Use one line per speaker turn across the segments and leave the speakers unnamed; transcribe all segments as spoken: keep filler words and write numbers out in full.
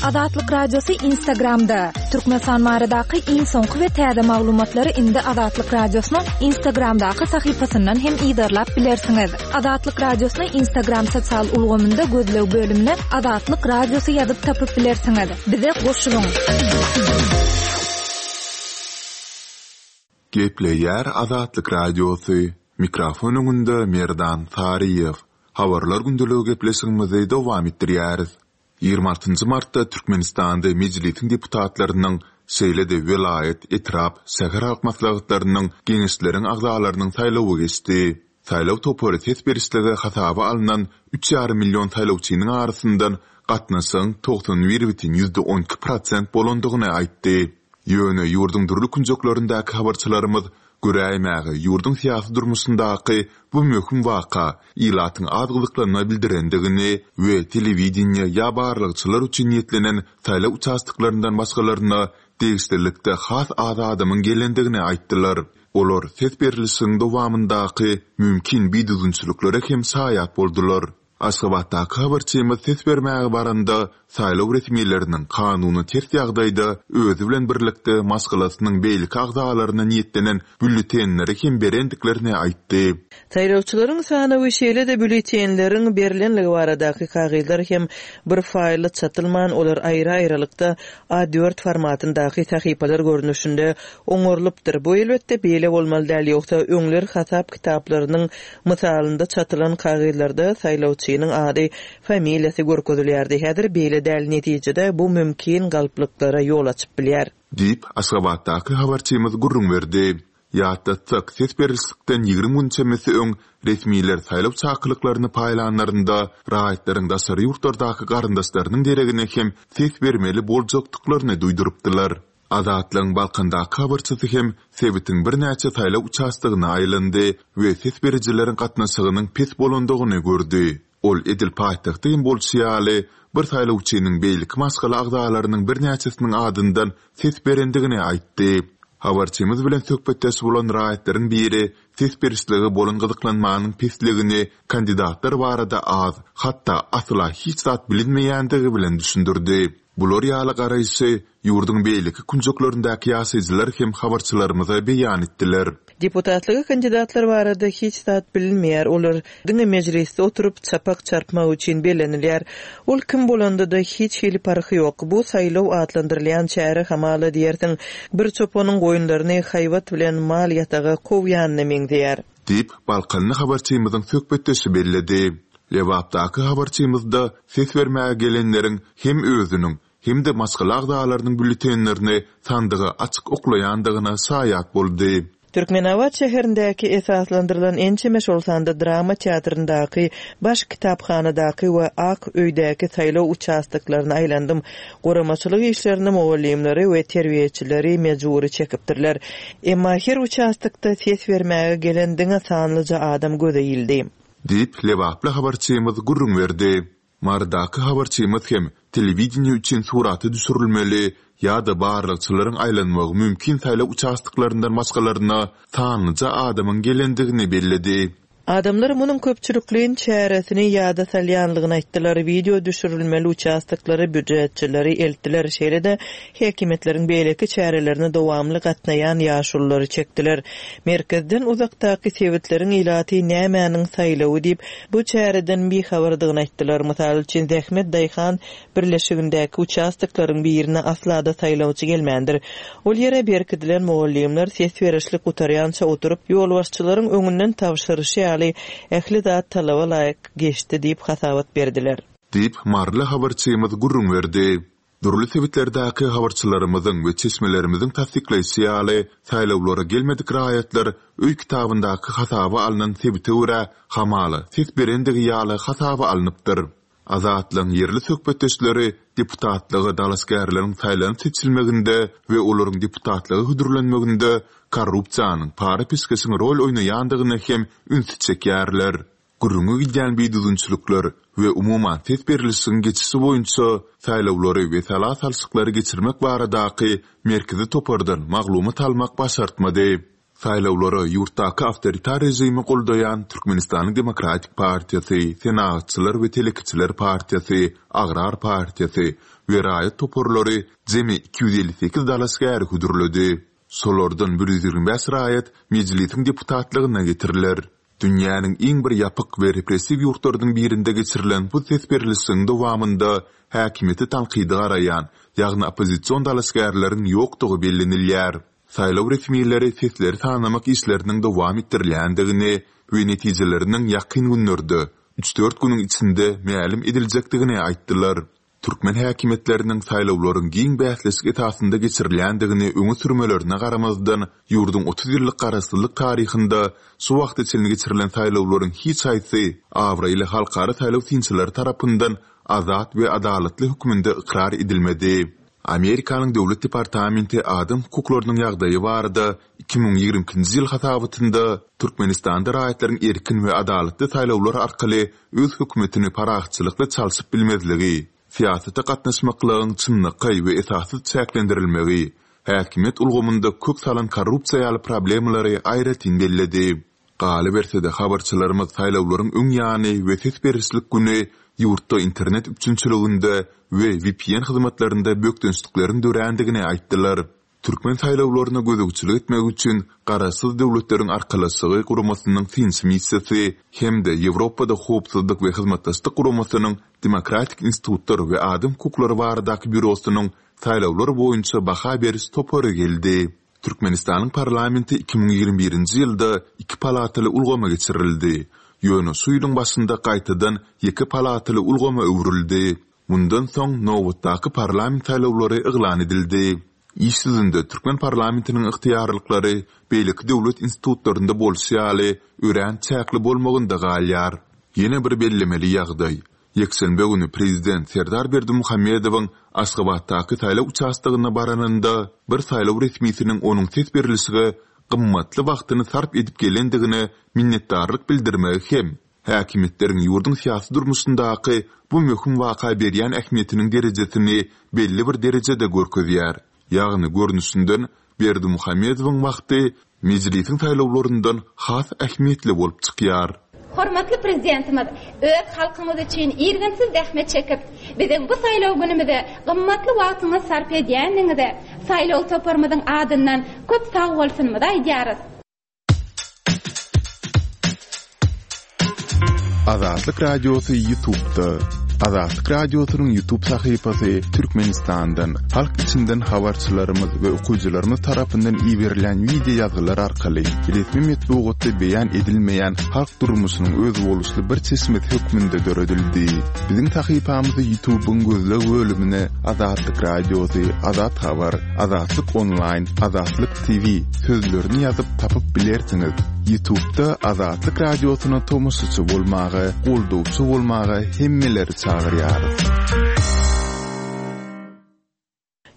Azatlyk Radiosy Instagramda. Türkmenistan baradaky iň soňky we täze maglumatlary indi Azatlyk Radiosynyň Instagramdaky sahypasyndan hem yzarlap bilersiňiz. Azatlyk Radiosyny Instagram sosial ulgamynda gözleg bölümine Azatlyk Radiosy ýazyp tapyp bilersiňiz. Bize goşulyň.
Gepleýär Azatlyk Radiosy. Mikrofon öňünde Merdan Saryýew. Habarlar gündeligi gepleşigimizi dowam etdirýäris. Ýigrimi altynjy martda Türkmenistanda Mejlisiň deputatlarynyň, şeýle-de welaýat, etrap, şäher halk maslahatlarynyň, geňeşleriň agzalarynyň saýlawy geçdi. Saýlaw topary ses berişlige hasaba alnan üç ýarym million saýlawçynyň arasyndan gatnaşygyň togsan bir bütin ýüzde on iki prosent bolandygyny aýtdy. Ýöne ýurduň dürli künjeklerindäki habarçylarymyz göräýmäge ýurduň syýasy durmuşyndaky bu möhüm waka ilatyň az gyzyklanma bildirendigini we telewideniýe ýa barlagçylar üçin niýetlenen saýlaw uçastoklaryndan başgalaryna degişlilikde has az adamyň gelendigini aýtdylar. Olar ses berlişigiň dowamyndaky mümkin bidüzgünçiliklere hem şaýat boldular. Aşgabatdaky habarçymyz ses bermäge baranda saýlaw resmileriniň kanuny ters ýagdaýda özi bilen birlikde maşgalasynyň beýleki agzalaryna niýetlenen bülletenleri hem berendiklerini aýtdy.
Saýlawçylaryň sanawy şeýle-de bülletenleriň berilenligi baradaky kagyzlar hem bir faýly çatylman, olar aýry-aýrylykda A dört formatyndaky sahypalar görnüşinde oňarylypdyr. Bu elbetde beýle bolmaly däl, ýogsa öňler hasap kitaplarynyň mysalynda çatylan kagyzlarda saýlawçynyň ady, familiýasy görkezilýärdi. Häzir beýle däl, netijede bu mümkin galplyklara ýol açyp bilýär.
Diýip, Aşgabatdaky habarçymyz gürrüň berdi. Ýatlatsak, ses berişlikden ýigrimi gün çemesi öň resmiler saýlaw çakylyklaryny paýlanlarynda raýatlaryň daşary ýurtlardaky garyndaşlarynyň deregine hem ses bermeli boljakdyklaryny duýdurypdylar. Azatlygyň Balkandaky habarçysy hem sebitiň birnäçe saýlaw uçastogyna aýlandy we ses berijileriň gatnaşygynyň pes bolandygyny gördi. Ol edil paýtagtda hem bolşy ýaly, bir saýlawçynyň beýleki maşgala agzalarynyň birnäçesiniň adyndan ses berendigini aýtdy. Habarçymyz bilen söhbetdeş bolan raýatlaryň biri ses berişlige bolan gyzyklanmanyň pesligini kandidatlar barada az, hatda asla hiç zat bilinmeýändigi bilen düşündirdi. Bular ýaly garaýşy ýurduň beýleki künjeklerindäki ýaşaýjylar hem habarçylarymyza beýan etdiler.
Deputatlyga kandidatlar barada hiç zat bilinmeýär. Olar diňe mejlisde oturyp çapak çarpmak üçin bellenilýär. Ol kim bolanda-da hiç hili parhy ýok. Bu saýlaw atlandyrylýan çäre hamala diýersiň, bir çopanyň goýunlaryny haýbat bilen mal ýataga kowýanyna meňzeýär.
Diýip, Balkanly habarçymyzyň söhbetdeşi belledi. Lebapdaky habarçymyzda ses bermäge gelenleriň hem özüniň hem-de maşgala agzalarynyň bülletenlerini sandyga açyk oklaýandygyna şaýat boldy.
Türkmenabat şäherindäki esaslandyrylan ençeme şol sanda drama teatryndaky, baş kitaphanadaky we Ak öýdäki saýlaw uçastoklaryny aýlandym. Guramaçylyk işlerini mugallymlary we terbiýeçileri mejbury çekipdirler. Emma her uçastokda ses bermäge gelen diňe sanlyja adam göze ildi.
Diýip, Lebaply habarçymyz gürrüň berdi. Marydaky habarçymyz hem telewideniýe üçin surata düşürilmeli ýa-da barlagçylaryň aýlanmagy mümkin saýlaw uçastoklaryndan başgalaryna sanlyja adamyň gelendigini belledi.
Adamlar munuň köpçülikleýin çäresini ýada salýanlygyny aýtdylar. Video düşürilmeli uçastoklary býujetçileri eltdiler. Şeýle-de häkimiýetleriň beýleki çärelerini dowamly gatnaýan ýaşululary çekdiler. Merkezden uzakdaky sebitleriň ilaty nämäniň saýlawy diýip, bu çäreden bihabardygyny aýtdylar. Mysal üçin, Zähmet Daýhan birleşigindäki uçastoklaryň birine asla-da saýlawçy gelmändir. Ol ýere berkidilen mugallymlar ses berişlik gutarýança oturyp, ýolbaşçylaryň öňünden tabşyryşy ýaly ähli zat talaba laýyk geçdi diýip hasabat berdiler.
Diýip, Maryly habarçymyz gürrüň berdi. Dürli sebitlerdäki habarçylarymyzyň we çeşmelerimiziň tassyklaýşy ýaly, saýlawlara gelmedik raýatlar öý kitabyndaky hasaba alnan sebite görä hamala ses berendigi ýaly hasaba alnypdyr. Azatlygyň ýerli söhbetdeşleri deputatlyga dalaşgärleriň saýlanyp seçilmeginde we olaryň deputatlyga hödürlenmeginde korrupsiýanyň, para-peşgeşiň rol oýnaýandygyna hem ünsi çekýärler. Gürrüňi gidýän bidüzgünçilikler we umuman ses berlişigiň geçişi boýunça saýlawlary we sala salşyklary geçirmek baradaky merkezi topardan maglumat almak başartmady. Saýlawlara ýurtdaky awtoritar režimi goldaýan Türkmenistanyň Demokratik partiýasy, Senagatçylar we telekeçiler partiýasy, Agrar partiýasy we raýat toparlary jemi iki ýüz elli sekiz dalaşgäri hödürledi. Şolardan bir ýüz ýigrimi bäş raýat mejlisiň deputatlygyna getiriler. Dünýäniň iň bir ýapyk we repressiw ýurtlarynyň birinde geçirilen bu ses berlişigiň dowamynda häkimiýete tankydy garaýan, ýagny oppozision dalaşgärleriň ýokdugy bellenilýär. Saýlaw resmileri sesleri sanamak işleriniň dowam etdirilýändigini we netijeleriniň ýakyn günlerde, üç-dört günüň içinde mälim ediljekdigini aýtdylar. Türkmen häkimiýetleriniň saýlawlaryň giň bäsleşik esasynda geçirilýändigini öňe sürmelerine garamazdan, ýurduň otuz ýyllyk garaşsyzlyk taryhynda şu wagta çenli geçirilen saýlawlaryň hiç haýsy abraýly halkara saýlaw synçylary tarapyndan azat we adalatly hökmünde ykrar edilmedi. Amerikanyň Döwlet departamenti adam hukuklarynyň ýagdaýy barada iki müň ýigrimi ikinji ýyl hasabatynda Türkmenistanda raýatlaryň erkin we adalatly saýlawlar arkaly öz hökümetini parahatçylykly çalşyp bilmezligi, syýasata gatnaşmaklygyň çynlakaý we esassyz çäklendirilmegi, häkimiýet ulgamynda kök salan korrupsiýa ýaly problemalary aýratyn belledi. Galyberse-de, habarçylarymyz saýlawlaryň öň ýany we ses berişlik güni ýurtda internet üpjünçiliginde we V P N hyzmatlarynda bökdençlikleriň dörändigini aýtdylar. Türkmen saýlawlaryna gözegçilik etmek üçin Garaşsyz Döwletleriň Arkalaşygy guramasynyň synçy missiýasy hem-de Ýewropada Howpsuzlyk we Hyzmatdaşlyk guramasynyň Demokratik institutlar we adam hukuklary baradaky býurosynyň saýlawlar boýunça baha beriş topary geldi. Türkmenistanyň parlamenti iki müň ýigrimi birinji ýylda iki palataly ulgama geçirildi. Ýöne şu ýylyň başynda gaýtadan ýeke palataly ulgama öwrüldi. Mundan soň nobatdaky parlament saýlawlary yglan edildi. Iş ýüzünde Türkmen parlamentiniň ygtyýarlyklary beýleki döwlet institutlarynda bolşy ýaly örän çäkli bolmagynda galýar. Ýene bir bellemeli ýagdaý. Ýekşenbe güni prezident Serdar Berdimuhamedowyň Aşgabatdaky saýlaw uçastogyna baranynda bir saýlaw resmisiniň onuň ses berilişige gymmatly wagtyny sarp edip gelendigine minnetdarlyk bildirmegi hem häkimiýetleriň ýurduň syýasy durmuşyndaky bu möhüm waka berýän ähmiýetiniň derejesini belli bir derejede görkezýär. Ýagny görnüşinden Berdimuhamedowyň wagty mejlisiň saýlawlaryndan has ähmiýetli bolup çykýar.
Hormatly prezidentimiz öz halkymyz üçin irginsiz zähmet çekip, biziň bu saýlaw günümize gymmatly wagtyňyzy sarp edýändigiňize saýlaw toparymyzyň adyndan köp sag bolsunymyzy aýdýarys.
Azatlyk Radiosy YouTube'da. Azatlyk Radiosynyň YouTube sahypasy Türkmenistandan, halk içinden habarçylarymyz we okyjylarymyz tarapyndan iberilen video ýazgylar arkaly resmi metbugatda beýan edilmeýän halk durmuşynyň özboluşly bir çeşmesi hökmünde döredildi. Biziň sahypamyzy YouTube'yň gözleg bölümine Azatlyk Radiosy, Azat Habar, Azatlyk Online, Azatlyk T V sözlerini ýazyp tapyp bilersiňiz. YouTube'da Azatlyk Radiosyna tomaşaçy bolmaga, goldawçy bolmaga hemmeleri çagyrýarys.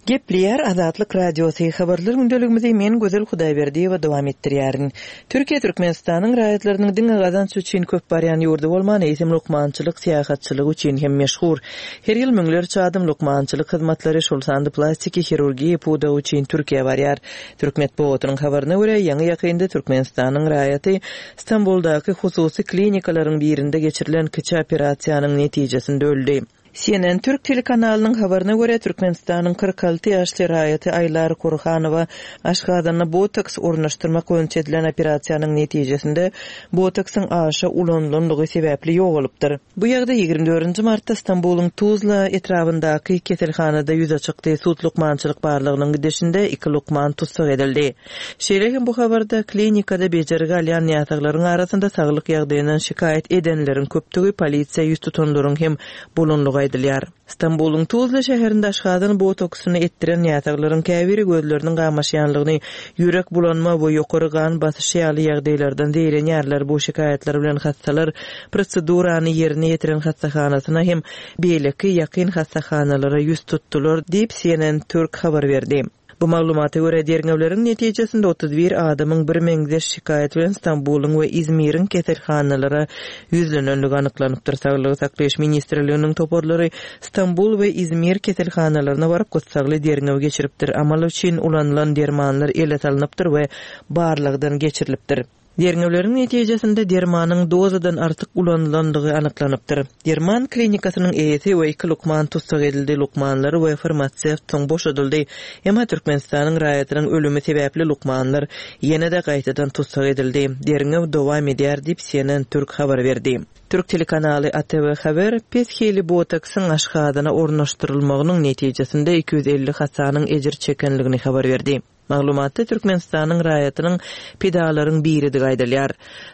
Gepleýär Azatlyk Radiosy habarlar gündeligimizi men Gözel Hudaýberdiýewa dowam etdirýärin. Türkiýe Türkmenistanyň raýatlarynyň diňe gazanç üçin köp barýan ýurdy bolman, eýsem lukmançylyk, syýahatçylyk üçin hem meşhur. Her ýyl müňlerçe adam lukmançylyk hyzmatlary, şol sanda plastiki hirurgiýa pudagy üçin Türkiýä barýar. Türk metbugatynyň habaryna görä, ýaňy ýakynda Türkmenistanyň raýaty Stambuldaky hususy klinikalaryň birinde geçirilen kiçi operasiýanyň netijesinde öldi. C N N Türk telekanalynyň habaryna görä, Türkmenistanyň kyrk alty ýaşly raýaty Aýlar Kurhanowa Aşgazanda botoks ornaşdyrmak boýunça edilen operasiýanyň netijesinde botoksyň aşa ulanylanlygy sebäpli ýogalypdyr. Bu ýagdaý ýigrimi dördünji martda Stambulyň Tuzla etrabyndaky keselhanada ýüze çykdy. Sud lukmançylyk barlygynyň gidişinde iki lukman tussag edildi. Şeýle hem bu habarda klinikada bejergi alýan näsaglaryň arasynda saglyk ýagdaýyndan şikaýat edenleriň köpdügi polisiýa ýüz tutanlaryň hem bolanlygy aýdylýar. Stambulyň Tuzla şäherinde Aşgazan botoksyny etdiren näsaglaryň käbiri gözleriniň gamaşýanlygyny, ýürek bulanma we ýokary gan basyşy ýaly ýagdaýlardan zeýrenýärler. Bu şikaýatlar bilen hassalar prosedurany ýerine ýetiren hassahanasyna hem beýleki ýakyn hassahanalara ýüz tutdular diýip C N N Türk habar berdi. Bu maglumata görä derňewleriň netijesinde otuz bir adamyň birmeňzeş şikaýat bilen Stambulyň we Izmiriň keselhanalara ýüzlenenligi anyklanypdyr. Saglygy saklaýyş ministrliginiň toparlary Stambul we Izmir keselhanalaryna baryp gyssagly derňew geçiripdir. Amal üçin ulanylan dermanlar ele salynypdyr we barlagdan geçirilipdir. Derňewleriň netijesinde dermanyň dozadan artyk ulanylandygy anyklanypdyr. Derman klinikasynyň eýesi we iki lukman tussag edildi, lukmanlar we farmasewt soň boşadyldy. Emma Türkmenistanyň raýatynyň ölümi sebäpli lukmanlar ýene-de gaýtadan tussag edildi. Derňew dowam edýär diýip C N N Türk habar berdi. Türk telekanaly A T V Haber pes hili botoksyň aşgazana ornaşdyrylmagynyň netijesinde iki ýüz elli hasanyň ejir çekenligini habar berdi. Maglumatda Türkmenistanyň raýatynyň pidalaryň biridigi aýdylýar.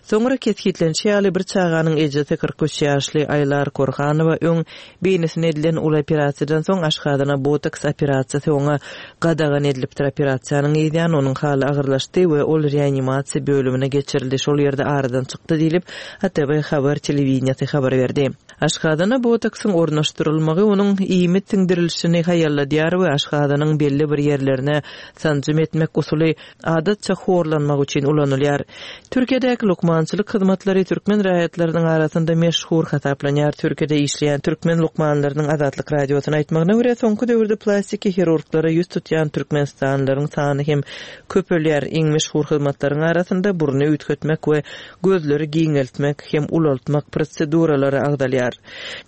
Soňra kesgitlenişi ýaly bir çaganyň ejesi kyrk üç ýaşly Aýlar Korhanowa öň beýnisine edilen uly operasiýadan soň aşgazana botoks operasiýasy oňa gadagan edilipdir. Operasiýanyň ýany onuň haly agyrlaşdy we ol reanimasiýa bölümine geçirildi. Şol ýerde aradan çykdy diýlip A T V Haber telewideniýesi habar berdi. Aşgazana botoksyň ornaşdyrylmagy onuň iýmit siňdirilişini haýalladýar we aşgazanyň belli bir ýerlerine sanjym etmek usuly adatça horlanmak üçin ulanylýar. Türkiýedäki lukmançylyk hyzmatlary türkmen raýatlarynyň arasynda meşhur hasaplanýar. Türkiýede işleýän türkmen lukmanlarynyň Azatlyk radiosyna aýtmagyna görä soňky döwürde plastiki hirurglara ýüz tutýan türkmenistanlylaryň sany hem köpelýär. Iň meşhur hyzmatlaryň arasynda burny üýtgetmek we gözleri giňeltmek hem ulaltmak proseduralary agzalýar.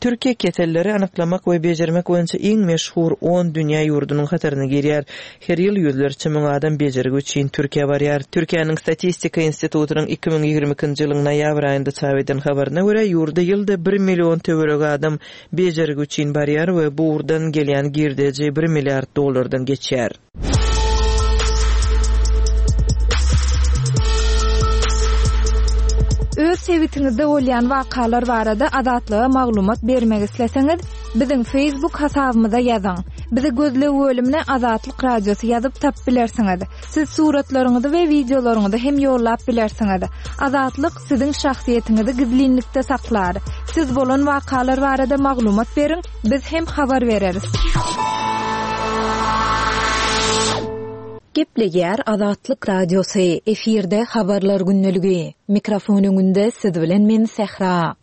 Türkiýe keselleri anyklamak we bejermek boýunça iň meşhur on dünýä ýurdunyň hataryna girýär. Her ýyl ýüzlerçe müň adam bejergi üçin Türkiýä barýar. Türkiýäniň Statistika institutynyň iki müň ýigrimi ikinji ýylyň noýabr aýynda çap eden habaryna görä ýurda ýylda bir million töweregi adam bejergi üçin barýar we bu ugurdan gelýän girdeji bir milliard dollardan geçýär.
Öz sebitiňizde bolýan wakalar barada Azatlyga maglumat bermek isleseňiz, biziň Facebook hasabymyza ýazyň. Bizi gözleg bölümine Azatlyk Radiosy ýazyp tap bilersiňiz. Siz suratlaryňyzy we wideolaryňyzy hem ýollap bilersiňiz. Azatlyk siziň şahsyýetiňizi gizlinlikde saklar. Siz bolan wakalar barada maglumat beriň, biz hem habar bereris.
Gepleýär Azatlyk Radiosy, efirde habarlar gündeligi. Mikrofon öňünde siz bilen men Sähra.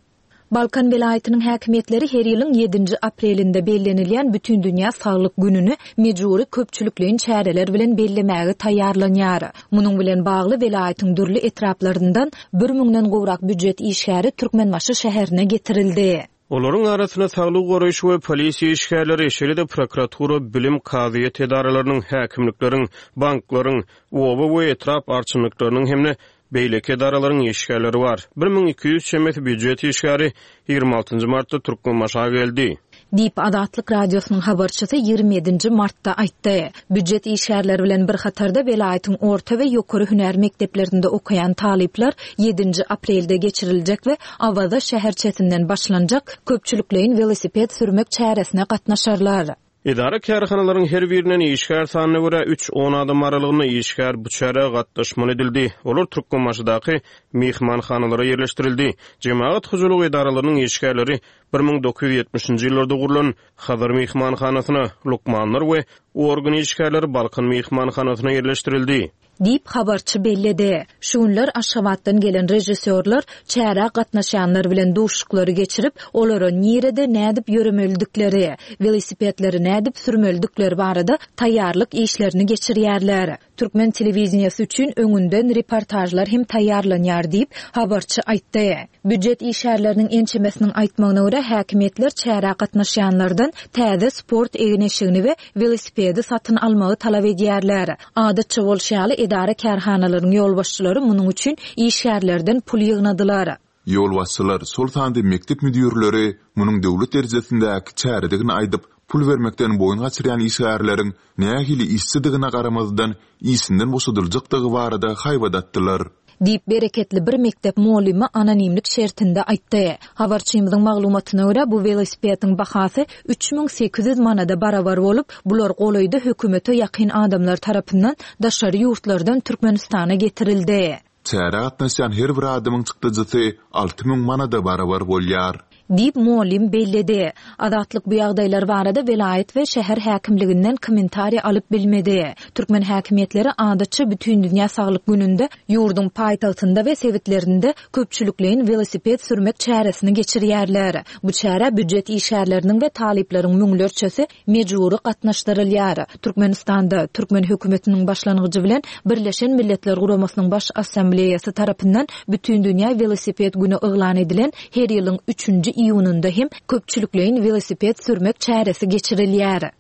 Balkan welaýatynyň häkimiýetleri her ýylyň ýedinji aprelinde bellenilýän Bütindünýä Saglyk gününi mejbury köpçülikleýin çäreler bilen bellemäge taýýarlanýar. Munuň bilen bagly welaýatyň dürli etraplaryndan bir müňden gowrak býujet işgäri Türkmenbaşy şäherine getirildi.
Olaryň arasynda saglyk goraýyş we polisiýa işgärleri, şeýle-de prokuratura, bilim, kazyýet edaralarynyň, häkimlikleriň, banklaryň, oba we etrap arçynlyklarynyň hem-de beýleki edaralaryň işgärleri bar. bir müň iki ýüz çemesi býujet işgäri ýigrimi altynjy martda Türkmenbaşa geldi.
Diýip Azatlyk Radiosynyň habarçysy ýigrimi ýedinji martda aýtdy. Býujet işgärleri bilen bir hatarda welaýatyň orta we ýokary hünär mekdeplerinde okaýan talyplar ýedinji aprelde geçiriljek we Awaza şäherçesinden başlanjak köpçülikleýin welosiped sürmek çäresine gatnaşarlar.
Edara kärhanalaryň her birinden işgär sanyna görä üç on adam aralygynda işgär bu çärä gatnaşmaly edildi. Olar Türkmenbaşydaky mehmanhanalara ýerleşdirildi. Jemagat hojalygy edaralarynyň işgärleri bir müň dokuz ýüz ýetmişinji ýyllarda gurlan Hazar mehmanhanasyna, lukmanlar we organ işgärleri Balkan mehmanhanasyna ýerleşdirildi.
Diýip habarçy belledi. Şu günler Aşgabatdan gelen rejissýorlar çärä gatnaşýanlar bilen duşuklary geçirip, olara nirede nädip ýöremelidikleri, welosipedleri nädip sürmelidikleri barada taýýarlyk işlerini geçirýärler. Türkmen telewideniýesi üçin öňünden reportajlar hem taýýarlanýar diýip habarçy aýtdy. Býujet işgärleriniň ençemesiniň aýtmagyna görä häkimiýetler çärä gatnaşýanlardan täze sport egin-eşigini we welosipedi satyn almagy talap edýärler. Adatça bolşy ýaly edara kärhanalaryň ýolbaşçylary munuň üçin işgärlerden pul ýygnadylar.
Ýolbaşçylar şol sanda mekdep müdürleri munuň döwlet derejesindäki çäredigini aýdyp, pul bermekden boýun gaçyrýan işgärleriň nähili işçidigine garamazdan işinden boşadyljakdygy barada haýbat atdylar.
Diýip bereketli bir mekdep muallymy anonimlik şertinde aýtdy. Habarçymyzyň maglumatyna görä bu welosipediň bahasy üç müň sekiz ýüz manada barabar bolup, bular golaýda hökümete ýakyn adamlar tarapyndan daşary ýurtlardan Türkmenistana getirildi.
Çärä gatnaşýan her bir adamyň çykdajysy alty müň manada barabar bolýar.
Diýip mugallym belledi. Azatlyk bu ýagdaýlar barada welaýat we şäher häkimliginden kommentariý alyp bilmedi. Türkmen häkimiýetleri adatça Bütindünýä saglyk gününde ýurduň paýtagtynda we sebitlerinde köpçülikleýin welosiped sürmek çäresini geçirýärler. Bu çärä býujet işgärleriniň we talyplaryň müňlerçesi mejbury gatnaşdyrylýar. Türkmenistanda türkmen hökümetiniň başlangyjy bilen Birleşen Milletler Guramasynyň Baş Assambleýasy tarapyndan Bütindünýä welosiped güni yglan edilen her ýylyň üçünji iýunynda hem köpçülikleýin welosiped sürmek çäresi geçirilýär.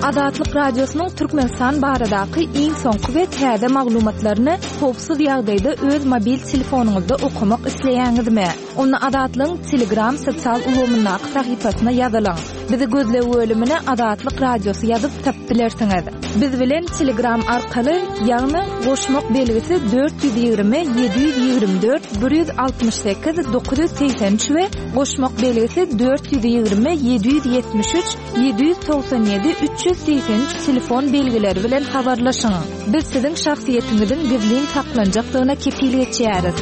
Azatlyk Radiosynyň Türkmenistan baradaky iň soňky we täze maglumatlaryny howpsuz ýagdaýda öz mobil telefonyňyzda okamak isleýäňizmi? Onda Azatlygyň Telegram sosial ulgamyndaky sahypasyna ýazylyň. Bizi gözleg bölümine Azatlyk Radiosy ýazyp tapyp bilersiňiz. Biz bilen Telegram arkaly, ýagny goşmak belgisi dört ýüz ýigrimi ýedi ýüz ýigrimi dört bir ýüz altmyş sekiz dokuz ýüz segsen üç we goşmak belgisi dört ýüz ýigrimi ýedi ýüz ýetmiş üç ýedi ýüz togsan ýedi üç ýüz segsen üç telefon belgileri bilen habarlaşyň. Biz siziň şahsyýetiňiziň gizlin saklanjakdygyna kepil geçýäris.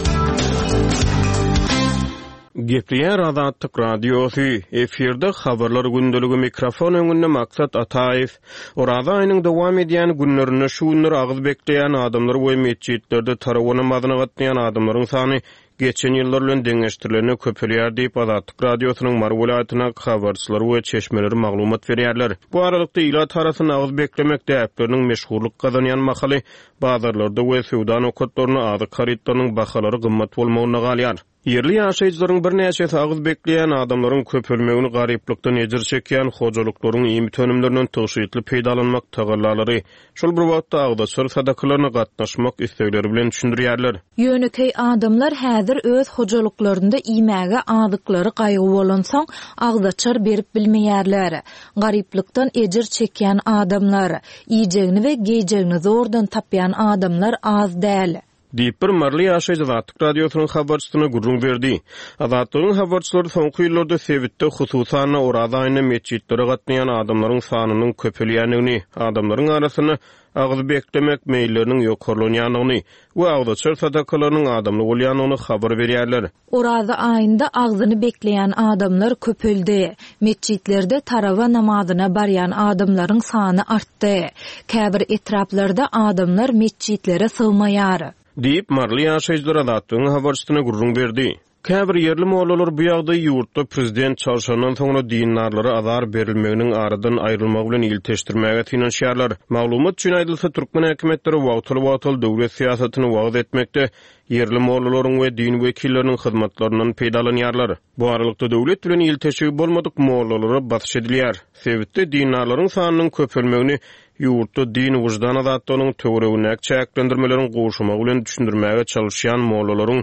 Gepleýär Azatlyk Radiosy, efirde habarlar gündeligi mikrofon öňünde Maksat Ataýew. Oraza aýynyň dowam edýän günlerinde şu günler agyz bekleýän adamlar we metjitlerde tarawa namazyna gatnaýan adamlaryň sany geçen ýyllar bilen deňeşdirilende köpelýär diýip Azatlyk Radiosynyň Mary welaýatyna habarçylary we çeşmeleri maglumat berýärler. Bu aralykda ilat arasynda agyz beklemek däpleriniň meşhurlyk gazanýan mahaly bazarlarda we söwda nokatlarynda azyk harytlarynyň bahalary gymmat bolmagyna galýar. Ýerli ýaşaýjylaryň birnäçesi agyz bekleýän adamlaryň köpelmegini garyplykdan ejir çekýän hojalyklaryň iýmit önümlerinden tygşytly peýdalanmak tagallalary, şol bir wagtda agzaçar sadakalaryna gatnaşmak islegleri bilen düşündirýärler.
Ýönekeý adamlar häzir öz hojalyklarynda iýmäge azyklary gaýgy bolansoň agzaçar berip bilmeýärler. Garyplykdan ejir çekýän adamlar, iýjegini we geýjegini zordan tapýan adamlar az däl.
Diýip bir Maryly ýaşaýjy Azatlyk Radiosynyň habarçysyna gürrüň berdi. Azatlygyň habarçylary soňky ýyllarda sebitde hususan Oraza aýynda metjitlere gatnaýan adamlaryň sanynyň köpelýändigini, adamlaryň arasynda agyz beklemek meýilleriniň ýokarlanýandygyny we agzaçar sadakalarynyň adamly bolýandygyny habar berýärler.
Oraza aýynda agzyny bekleýän adamlar köpeldi. Metjitlerde tarawa namazyna barýan adamlaryň sany artdy. Käbir etraplarda adamlar metjitlere sygmaýar.
Diýip Maryly ýaşaýjylar Azatlygyň habarçysyna gürrüň berdi. Käbir ýerli mollalar bu ýagdaýy ýurtda prezident çalşandan soňra dindarlara azar berilmeginiň aradan aýrylmagy bilen ilteşdirmäge synanyşýarlar. Maglumat üçin aýdylsa, türkmen häkimiýetleri wagtal-wagtal döwlet syýasatyny wagyz etmekde ýerli mollalaryň we din wekilleriniň hyzmatlaryndan peýdalanýarlar. Bu aralykda döwlet bilen ilteşigi bolmadyk mollalara basyş edilýär. Sebitde dindarlaryň sanynyň köpelmegini ýurtda din wyždan azatlygynyň töweregindäki çäklendirmeleriň gowşamagy bilen düşündirmäge çalışýan mollalaryň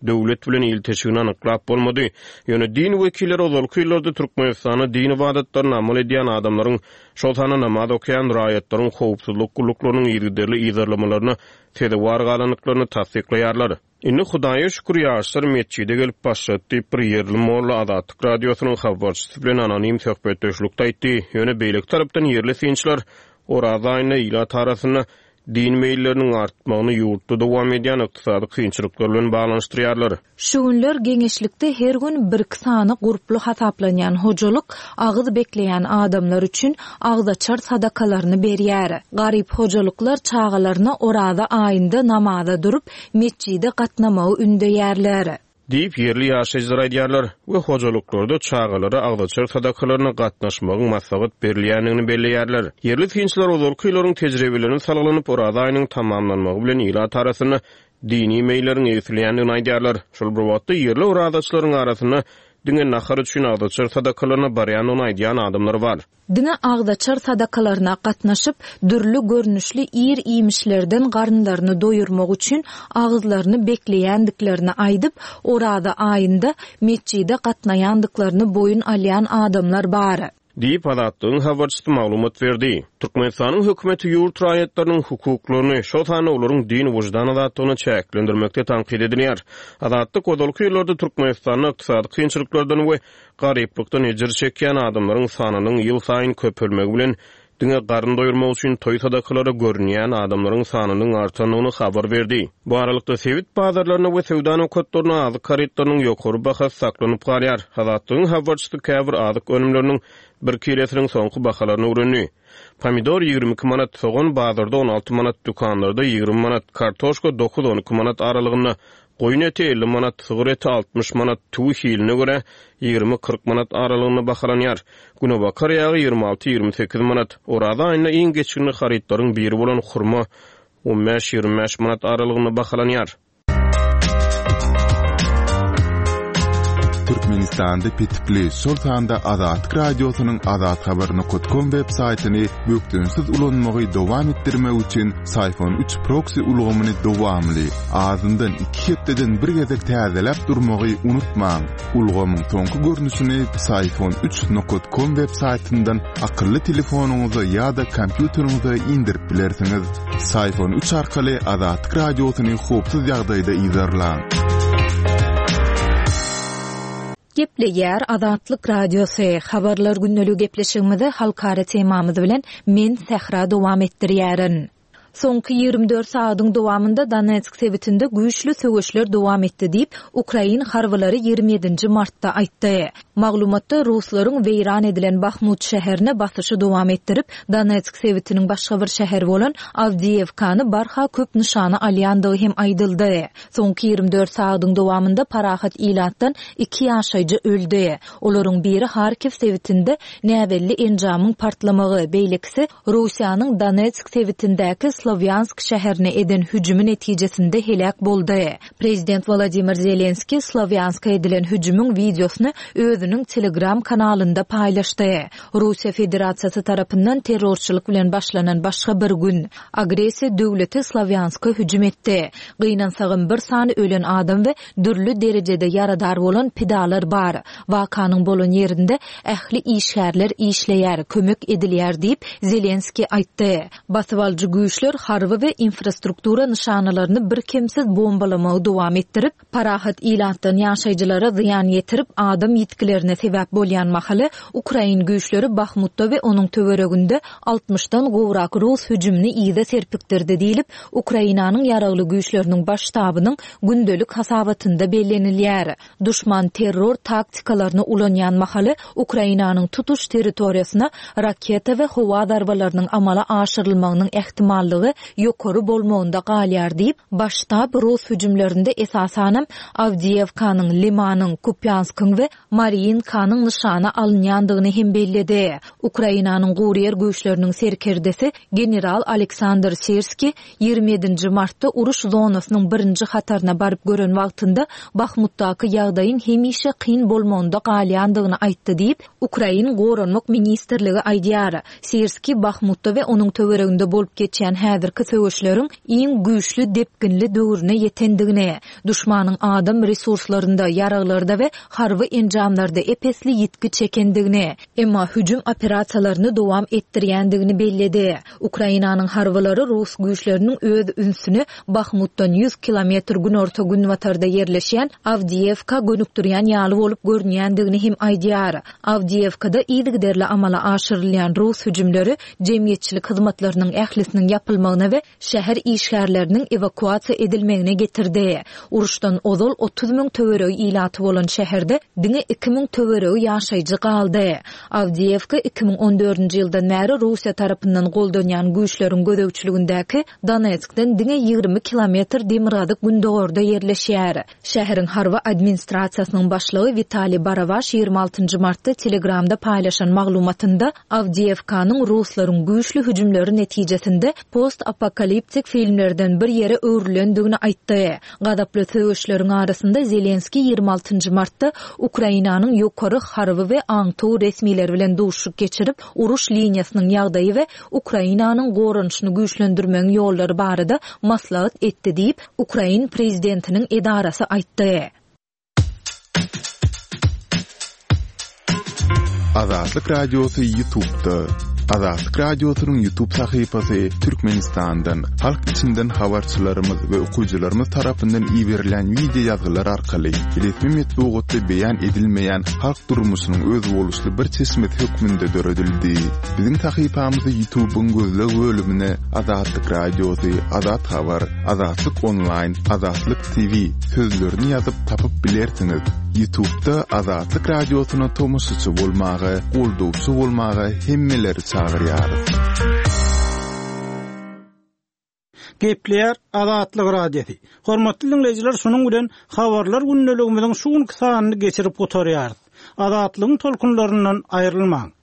döwlet bilen ilteşigini anyklap bolmady. Ýöne din wekilleri ozalky ýyllarda Türkmenistanda din ibadatlaryny amal edýän adamlaryň, şol sanda namaz okaýan raýatlaryň howpsuzlyk gulluklarynyň yzygiderli yzarlamalaryna sezewar galandyklaryny tassyklaýarlar. Indi Hudaýa şükür ýaşlar metjide gelip başlady diýip bir ýerli molla Azatlyk Radiosynyň habarçysy bilen anonim söhbetdeşlikde aýtdy. Ýöne beýleki tarapdan ýerli synçylar Oraza aýynda ilat arasynda din meýilleriniň artmagyny ýurtda dowam edýän ykdysady kynçylyklar bilen baglanyşdyrýarlar.
Şu günler geňeşlikde her gün bir iki sany gurply hasaplanýan hojalyk agyz bekleýän adamlar üçin agzaçar sadakalaryny berýär. Garyp hojalyklar çagalaryna Oraza aýynda namaza durup metjide gatnamagy ündeýärler.
Diýip ýerli ýaşaýjylar aýdýarlar we hojalyklarda çagalara agzaçar sadakalaryna gatnaşmagyň maslahat berilýändigini belleýärler. Ýerli synçylar ozalky ýyllaryň tejribelerini salgylanyp Oraza aýynyň tamamlanmagy bilen ilat arasynda dini meýilleriň egsilýändigini aýdýarlar. Şol bir wagtda ýerli orazaçylaryň arasynda diňe nahar üçin agzaçar sadakalaryna barýandygyny aýdýan adamlar bar.
Diňe agzaçar sadakalaryna gatnaşyp, dürli görnüşli ir-iýmişlerden garynlaryny doýurmak üçin agyzlaryny bekleýändiklerini aýdyp, Oraza aýynda metjide gatnaýandyklaryny boýun alýan adamlar bar.
Diýip Azatlygyň habarçysy maglumat berdi. Türkmenistanyň hökümeti ýurt raýatlarynyň hukuklaryny, şol sanda olaryň din wyždan azatlygyny çäklendirmekde tankyt edilýär. Azatlyk ozalky ýyllarda Türkmenistanda ykdysady kynçylyklardan we garyplykdan ejir çekýän adamlaryň sanynyň ýyl saýyn köpelmegi bilen diňe garyn doýurmak üçin toý sadakalara görünýän adamlaryň sanynyň artandygyny habar berdi. Bu aralykda sebit bazarlarynda we söwda nokatlarynda azyk harytlarynyň ýokary bahasy saklanyp galýar. Azatlygyň habarçysy käbir azyk önümleriniň bir kilesiniň soňky bahalaryny öwrendi. Pomidor ýigrimi iki manat, sogan bazarda on alty manat, dükanlarda ýigrimi manat, kartoşka dokuz on iki manat aralygynda, goýun eti elli manat, sygyr eti altmyş manat, tüwi hiline görä ýigrimi kyrk manat aralygynda bahalanýar. Günebakar ýagy ýigrimi alty ýigrimi sekiz manat, Oraza aýynda iň geçginli harytlaryň biri bolan hurma on bäş ýigrimi bäş manat aralygynda bahalanýar.
Türkmenistanda petikli, şol sanda Azatlyk Radiosynyň azathabar nokta com web saýtyny bökdençsiz ulanmagy dowam etdirmek üçin Syfon üç proxy ulgamyny dowamly, azyndan iki hepdeden bir gezek täzeläp durmagy unutmaň. Ulgamyň soňky görnüşini Syfon üç nokta com web saýtyndan akylly telefonyňyza ýa-da kompýuteriňize indirip bilersiňiz. Syfon üç arkaly Azatlyk Radiosyny howpsuz ýagdaýda yzarlaň.
Gepleýär Azatlyk Radiosy. Habarlar günlügi gepleşigimizi halkara temamyz bilen men Sähra dowam etdirýärin. Soňky ýigrimi dört sagadyň dowamynda Donetsk sebitinde güýçli söweşler dowam etdi diýip, Ukrain harbylary ýigrimi ýedinji martda aýtdy. Maglumatda Ruslaryň weýran edilen Bahmut şäherine basyşy dowam etdirip, Donetsk sebitiniň başga bir şäheri bolan Awdiýewkany barha köp nyşana alýandygy hem aýdyldy. Soňky ýigrimi dört sagadyň dowamynda parahat ilatdan iki ýaşaýjy öldi. Olaryň biri Harkiw sebitinde näbelli enjamyň partlamagy, beýlekisi Russiýanyň Donetsk sebitindäki Slavyansk şäherine eden hüjümi netijesinde helak boldy. Prezident Vladimir Zelenski Slavyanska edilen hüjümiň wideosyny özüniň Telegram kanalynda paýlaşdy. Russiýa Federasiýasy tarapyndan terrorçylyk bilen başlanan başga bir gün agressiýa döwleti Slavyanska hüjüm etdi. Gynansagym bir sany ölen adam we dürli derejede ýaradar bolan pidalar bar. Wakanyň bolan ýerinde ähli işgärler işleýär, kömek edilýär diýip Zelenski aýtdy. Basyp alyjy güýçler harby we infrastruktura nyşanalaryny bir kemsiz bombalamagy dowam etdirip, parahat ilatdan ýaşaýjylara zyýan ýetirip, adam ýitgilerine sebäp bolýan mahaly Ukrain güýçleri Bahmutda we onuň töwereginde altmyşdan gowrak rus hüjümini ýygy serpikdirdi diýilip, Ukrainanyň ýaragly güýçleriniň baş ştabynyň gündelik hasabatynda bellenilýär. Duşman terror taktikalaryny ulanýan mahaly Ukrainanyň tutuş territoriýasyna raketa we howa zarbalarynyň amala aşyrylmagynyň ähtimallygy ýokary bolmagynda galýar diýip, baş ştab rus hüjümlerinde esasanam Awdiýewkanyň, Limanyň, Kupýanskyň we Mariinkanyň nyşana alynýandygyny hem belledi. Ukrainanyň guryýer güýçleriniň serkerdesi general Aleksandr Sirski ýigrimi ýedinji martda uruş zonasynyň birinji hataryna baryp gören wagtynda Bahmutdaky ýagdaýyň hemişe kyn bolmagynda galýandygyny aýtdy diýip, Ukrain Goranmak Ministrligi aýdýar. Sirski Bahmutda we onuň töwereginde bolup geçýän häzirki söweşleriň iň güýçli depginli döwrüne ýetendigini, duşmanyň adam resurslarynda, ýaraglarda we harby enjamlarda epesli ýitgi çekendigini, emma hüjüm operasiýalaryny dowam etdirýändigini belledi. Ukrainanyň harbylary rus güýçleriniň öz ünsüni Bahmutdan ýüz kilometr günorta günbatarda ýerleşýän Awdiýewka gönükdirýän ýaly bolup görünýändigini hem aýdýar. Awdiýewkada yzygiderli amala aşyrylýan rus hüjümleri jemgyýetçilik hyzmatlarynyň ählisiniň ýapylmagyna we şäher işgärleriniň ewakuasiýa edilmegine getirdi. Uruşdan ozal otuz müň töweregi ilaty bolan şäherde diňe iki müň töweregi ýaşaýjy galdy. Awdiýewka iki müň on dördünji ýyldan bäri Russiýa tarapyndan goldanýan güýçleriň gözegçiligindäki Donetskden diňe ýigrimi kilometr demirgazyk gündogarda ýerleşýär. Şäheriň harby administrasiýasynyň başlygy Witaliý Barawaş ýigrimi altynjy martda Telegramda paýlaşan maglumatynda Awdiýewkanyň ruslaryň güýçli hüjümleri netijesinde post-apokaliptik filmlerden bir ýere öwrülendigini aýtdy. Gazaply söweşleriň arasynda Zelenski ýigrimi altynjy martda Ukrainanyň ýokary harby we aňtow resmileri bilen duşuşyk geçirip, uruş liniýasynyň ýagdaýy we Ukrainanyň goranyşyny güýçlendirmegiň ýollary barada maslahat etdi diýip, Ukrain prezidentiniň edarasy aýtdy.
Azatlyk Radiosy YouTube'da. Azatlyk Radiosynyň YouTube sahypasy Türkmenistandan, halk içinden habarçylarymyz we okyjylarymyz tarapyndan iberilen wideo ýazgylar arkaly resmi metbugatda beýan edilmeýän halk durmuşynyň özboluşly bir çeşmesi hökmünde döredildi. Biziň sahypamyzy YouTube'yň gözleg bölümine Azatlyk Radiosy, Azat Habar, Azatlyk Online, Azatlyk TV sözlerini ýazyp tapyp bilersiňiz. YouTube'da Azatlyk Radiosyna tomaşaçy bolmaga, goldawçy bolmaga hemmeleri çagyrýarys.
Gepleýär Azatlyk Radiosy. Hormatly dinleýjiler, şunuň bilen habarlar gündeligimiziň şu günki sanyny geçirip gutarýarys. Azatlygyň tolkunlaryndan aýrylmaň.